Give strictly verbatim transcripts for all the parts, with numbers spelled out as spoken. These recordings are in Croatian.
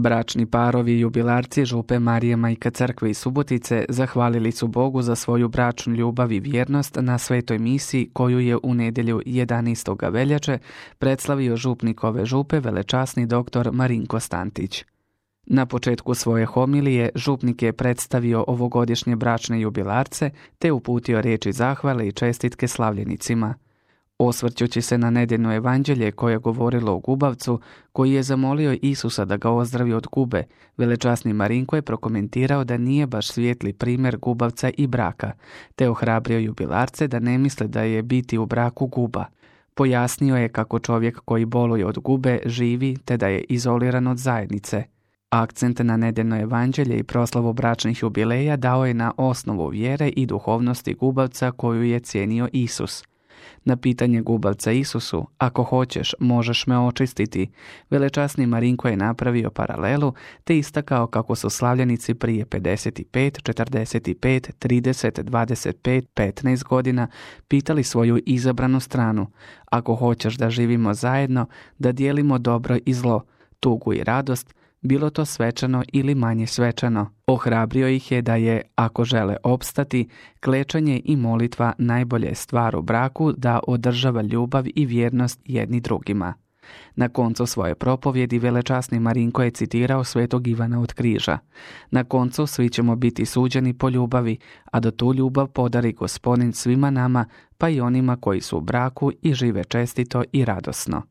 Bračni parovi i jubilarci župe Marije Majka Crkve iz Subotice zahvalili su Bogu za svoju bračnu ljubav i vjernost na svetoj misi koju je u nedjelju jedanaestog veljače predslavio župnik ove župe velečasni doktor Marinko Stantić. Na početku svoje homilije župnik je predstavio ovogodišnje bračne jubilarce te uputio riječi zahvale i čestitke slavljenicima. Osvrćući se na nedjeljno evanđelje koje je govorilo o gubavcu, koji je zamolio Isusa da ga ozdravi od gube, velečasni Marinko je prokomentirao da nije baš svijetli primjer gubavca i braka, te ohrabrio jubilarce da ne misle da je biti u braku guba. Pojasnio je kako čovjek koji boluje od gube živi te da je izoliran od zajednice. Akcent na nedjeljno evanđelje i proslavu bračnih jubileja dao je na osnovu vjere i duhovnosti gubavca koju je cijenio Isus. Na pitanje gubavca Isusu, ako hoćeš, možeš me očistiti, velečasni Marinko je napravio paralelu te istakao kako su slavljenici prije pedeset pet, četrdeset pet, trideset, dvadeset pet, petnaest godina pitali svoju izabranu stranu, ako hoćeš da živimo zajedno, da dijelimo dobro i zlo, tugu i radost, bilo to svečano ili manje svečano. Ohrabrio ih je da je, ako žele opstati, klečanje i molitva najbolje stvar u braku da održava ljubav i vjernost jedni drugima. Na koncu svoje propovjedi velečasni Marinko je citirao svetog Ivana od Križa. Na koncu svi ćemo biti suđeni po ljubavi, a da tu ljubav podari Gospodin svima nama, pa i onima koji su u braku i žive čestito i radosno.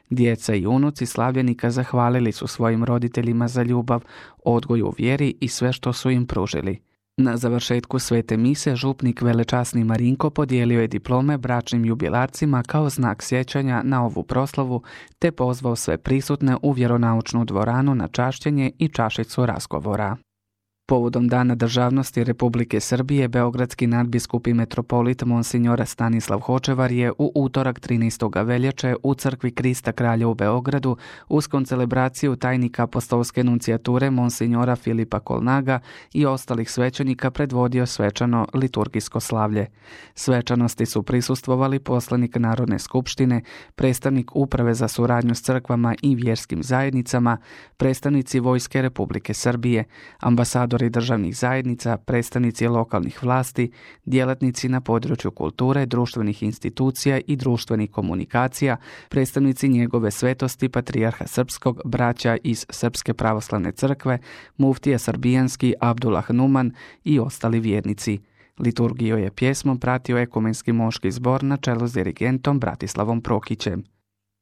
Djeca i unuci slavljenika zahvalili su svojim roditeljima za ljubav, odgoj u vjeri i sve što su im pružili. Na završetku svete mise župnik velečasni Marinko podijelio je diplome bračnim jubilarcima kao znak sjećanja na ovu proslavu te pozvao sve prisutne u vjeronaučnu dvoranu na čašćenje i čašicu razgovora. Povodom Dana državnosti Republike Srbije, beogradski nadbiskup i metropolit Monsignor Stanislav Hočevar je u utorak trinaestog veljače u crkvi Krista Kralja u Beogradu uz koncelebraciju tajnika apostolske nunциjature Monsignora Filipa Kolnaga i ostalih svećenika predvodio svečano liturgijsko slavlje. Svečanosti su prisustvovali poslanik Narodne skupštine, predstavnik Uprave za suradnju s crkvama i vjerskim zajednicama, predstavnici Vojske Republike Srbije, ambasador državnih zajednica, predstavnici lokalnih vlasti, djelatnici na području kulture, društvenih institucija i društvenih komunikacija, predstavnici njegove svetosti patrijarha srpskog, braća iz Srpske pravoslavne crkve, muftija srbijanski Abdullah Numan i ostali vjernici. Liturgiju je pjesmom pratio ekumenski moški zbor na čelu s dirigentom Bratislavom Prokićem.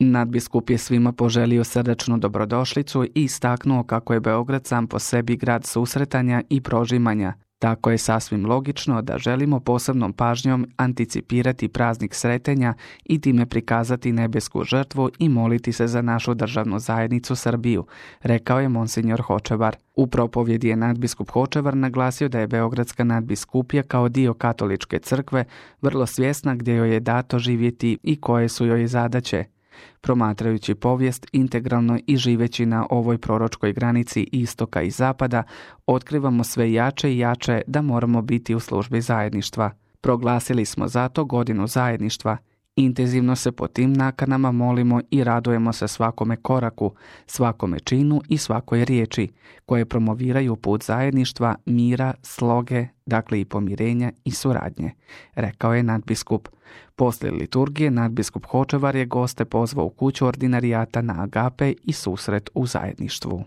Nadbiskup je svima poželio srdačnu dobrodošlicu i istaknuo kako je Beograd sam po sebi grad susretanja i prožimanja. Tako je sasvim logično da želimo posebnom pažnjom anticipirati praznik sretenja i time prikazati nebesku žrtvu i moliti se za našu državnu zajednicu Srbiju, rekao je Monsignor Hočevar. U propovjedi je nadbiskup Hočevar naglasio da je Beogradska nadbiskupija kao dio katoličke crkve vrlo svjesna gdje joj je dato živjeti i koje su joj zadaće. Promatrajući povijest integralno i živeći na ovoj proročkoj granici istoka i zapada, otkrivamo sve jače i jače da moramo biti u službi zajedništva. Proglasili smo zato godinu zajedništva. Intenzivno se po tim nakanama molimo i radujemo se svakome koraku, svakome činu i svakoj riječi, koje promoviraju put zajedništva, mira, sloge, dakle i pomirenja i suradnje, rekao je nadbiskup. Poslije liturgije nadbiskup Hočevar je goste pozvao u kuću ordinarijata na agape i susret u zajedništvu.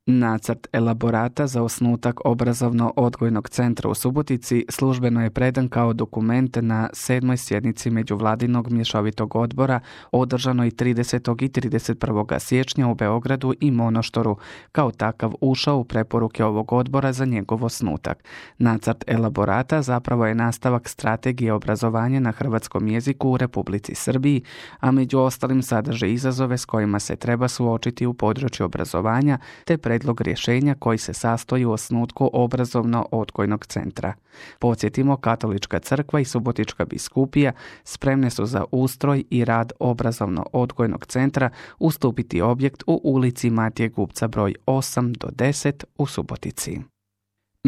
Nacrt elaborata za osnutak obrazovno-odgojnog centra u Subotici službeno je predan kao dokument na sedmoj sjednici Međuvladinog mješovitog odbora održanoj tridesetog i trideset prvog siječnja u Beogradu i Monoštoru, kao takav ušao u preporuke ovog odbora za njegov osnutak. Nacrt elaborata zapravo je nastavak strategije obrazovanja na hrvatskom jeziku u Republici Srbiji, a među ostalim sadrži izazove s kojima se treba suočiti u području obrazovanja te predlog rješenja koji se sastoji u osnutku obrazovno-odgojnog centra. Podsjetimo, Katolička crkva i Subotička biskupija spremne su za ustroj i rad obrazovno-odgojnog centra ustupiti objekt u ulici Matije Gubca broj osam do deset u Subotici.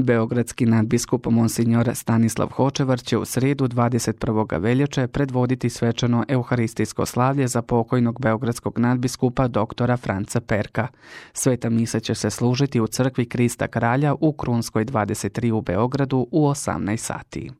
Beogradski nadbiskup Monsignor Stanislav Hočevar će u srijedu dvadeset prvog veljače predvoditi svečano euharistijsko slavlje za pokojnog beogradskog nadbiskupa doktora Franca Perka. Sveta misa će se služiti u crkvi Krista Kralja u Krunskoj dvadeset tri u Beogradu u osamnaest sati.